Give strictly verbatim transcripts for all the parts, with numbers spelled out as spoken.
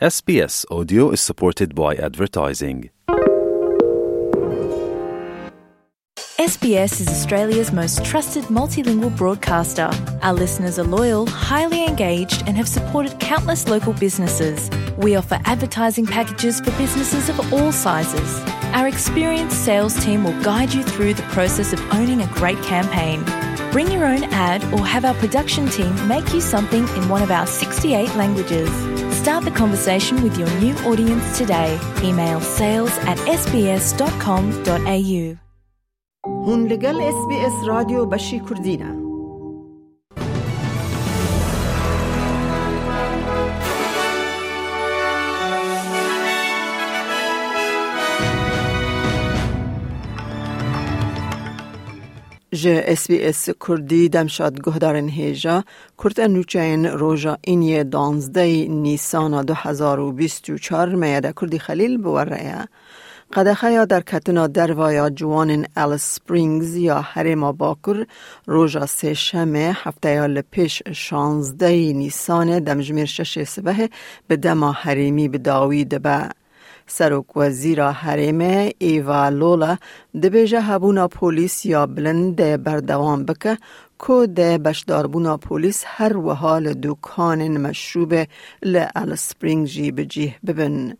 S B S Audio is supported by advertising. S B S is Australia's most trusted multilingual broadcaster. Our listeners are loyal, highly engaged, and have supported countless local businesses. We offer advertising packages for businesses of all sizes. Our experienced sales team will guide you through the process of owning a great campaign. Bring your own ad or have our production team make you something in one of our sixty-eight languages. Start the conversation with your new audience today. Email sales at S B S dot com dot A U. Hûn li gel S B S Radyo Beşî Kurdî ne. Ji S B S Kurdî demşad guhdarên hêja, kurte nûçeyên roja îniyê danzdehî Nîsana du hezar û bîst û çar meyede Kurdî Xelîl bi we re ye. Qedexeya derketina derva ya ciwanên Alice Springs ya Herêma Bakur roja Sêşemê hefteya li pêş şazdehî Nîsanê demjimêr şeşê sibehê bi dema herêmî bi dawî dibe. Serokwezîra Herêmê Eva Lola dibêje hebûna polîs ya bilind dê berdewam bike ku dê beşdarbûna polîs her wiha li dûkanên meşrûbê li Alice Springs jî bi cîh bibin.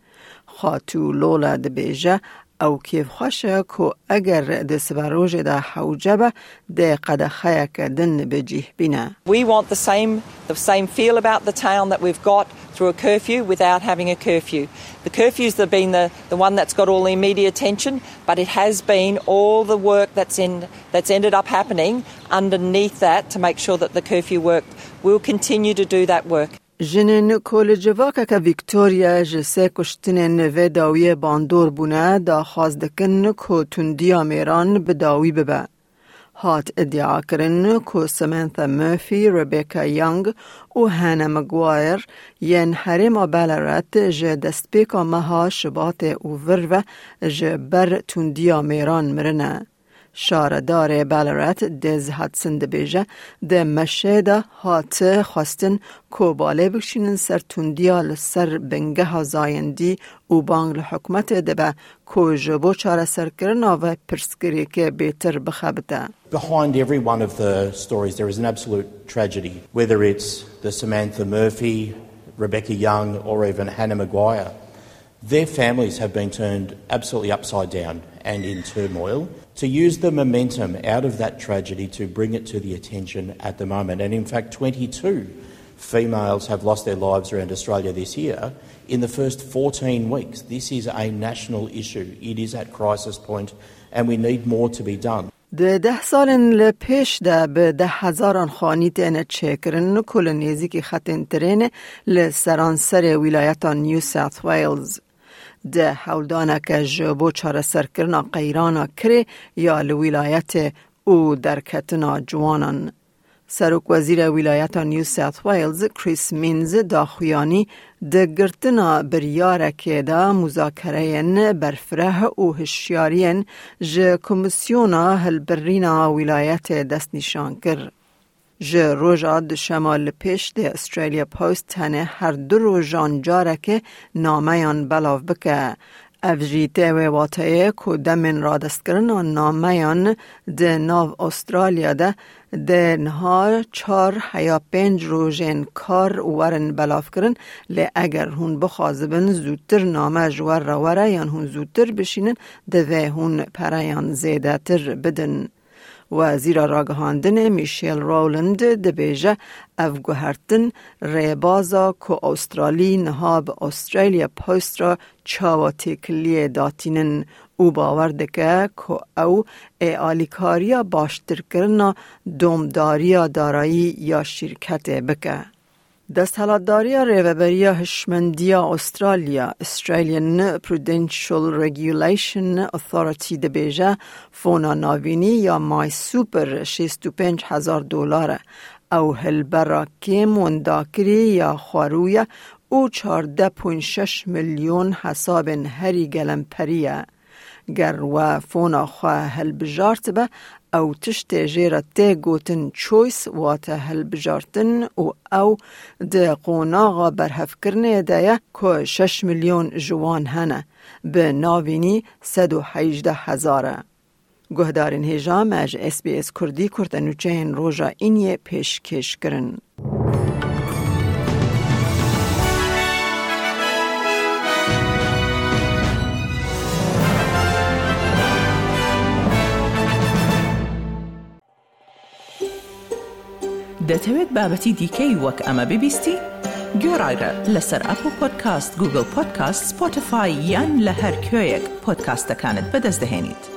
Xatû Lola dibêje, ew kêfxweş e ku eger di siberojê de hewce be, dê qedexeyeke din bi cîh bîne. We want the same, the same feel about the town that we've got through a curfew without having a curfew. The curfew's the, been the, the one that's got all the media attention, but it has been all the work that's in, that's ended up happening underneath that to make sure that the curfew worked. We'll continue to do that work. Jinên ku li civakeke Victoria ji sê kuştinên vê dawiyê bandor bûne, daxwaz dikin ku tundiya mêran bi dawî bibe. Hat îdiakirin ku Samantha Murphy, Rebecca Young û Hannah Maguire yên herêma Ballarat ji destpêka meha Şibatê û vir ve ji ber tundiya mêran mirine. Şaredarê Ballarat Des Hudson dibêje, di meşê de hat xwestin ku balê bikişînin ser tundiya li ser bingeha zayendî û bang li hikûmetê dibe ku ji bo çareserkirina vê pirsgirêkê bêtir bixebite. Behind every one of the stories, there is an absolute tragedy, whether it's the Samantha Murphy, Rebecca Young, or even Hannah Maguire. Their families have been turned absolutely upside down and in turmoil. To use the momentum out of that tragedy to bring it to the attention at the moment, and in fact, twenty-two females have lost their lives around Australia this year. In the first fourteen weeks, this is a national issue. It is at crisis point, and we need more to be done. Di deh salên li pêş de bi deh hezaran xanî têne çêkirin ku li nêzîkî xetên tirênê li seranserê wîlayeta New South Wales. Di hewldaneke ji bo çareserkirina qeyrana kirê ya li wîlayetê û derketina ciwanan. Serokwezîrê wîlayeta New South Wales, Chris Minns, daxuyanî di girtina biryarekê de muzakereyên berfireh û hişyariyên ji Komîsyona Hilbirîna Wîlayetê destnîşan kir. Ji roja duşema li pêş dê Australia Post tenê her du rojan carekê nameyan belav bike. Ev jî tê wê wateyê ku demên radestkirina nameyan di nav Australya de dê niha çar heya pênc rojên kar werin belavkirin, lê eger hûn bixwazibin zûtir name ji we re were yan hûn zûtir bişînin, divê hûn pereyan zêdetir bidin. Wezîra Ragihandinê Michelle Rowland dibêje, ev guhertin rêbaza ku Australî niha bi Australia Post re çawa têkiliyê datînin û bawer dike ku ew ê alîkariya baştirkirina domdariya darayî ya şîrketê bike. Desthilatdariya Rêveberiya Hişmendiya Australya, Australian Prudential Regulation Authority, dibêje, fona navînî ya MySuper şêst û pênc hezar dolar e. Ew hilbera kêm wendakirî ya xwerû ye û çardeh point şeş milyon hesabên herî gelemperî ye. Ger we fona xwe hilbijartibe, ew tiştê jê re tê gotin choice, wate hilbijartin, û ew di qonaxa berhevkirinê de ye ku şeş milyon ji wan hene, bi navînî sed û hejdeh hezar e. Guhdarên hêja, me ji S B S Kurdî kurte nûçeyên roja îniyê pêşkêş kirin. دەتەوێت بابەتی دیکەی وەک ئەمە ببیستی؟ گوێڕایرە لەسەر ئەپڵ پۆدکاست، گوگڵ پۆدکاست، سپۆتیفای یان لە هەر کوێیەک پۆدکاستەکانت بەدەست دەهێنیت.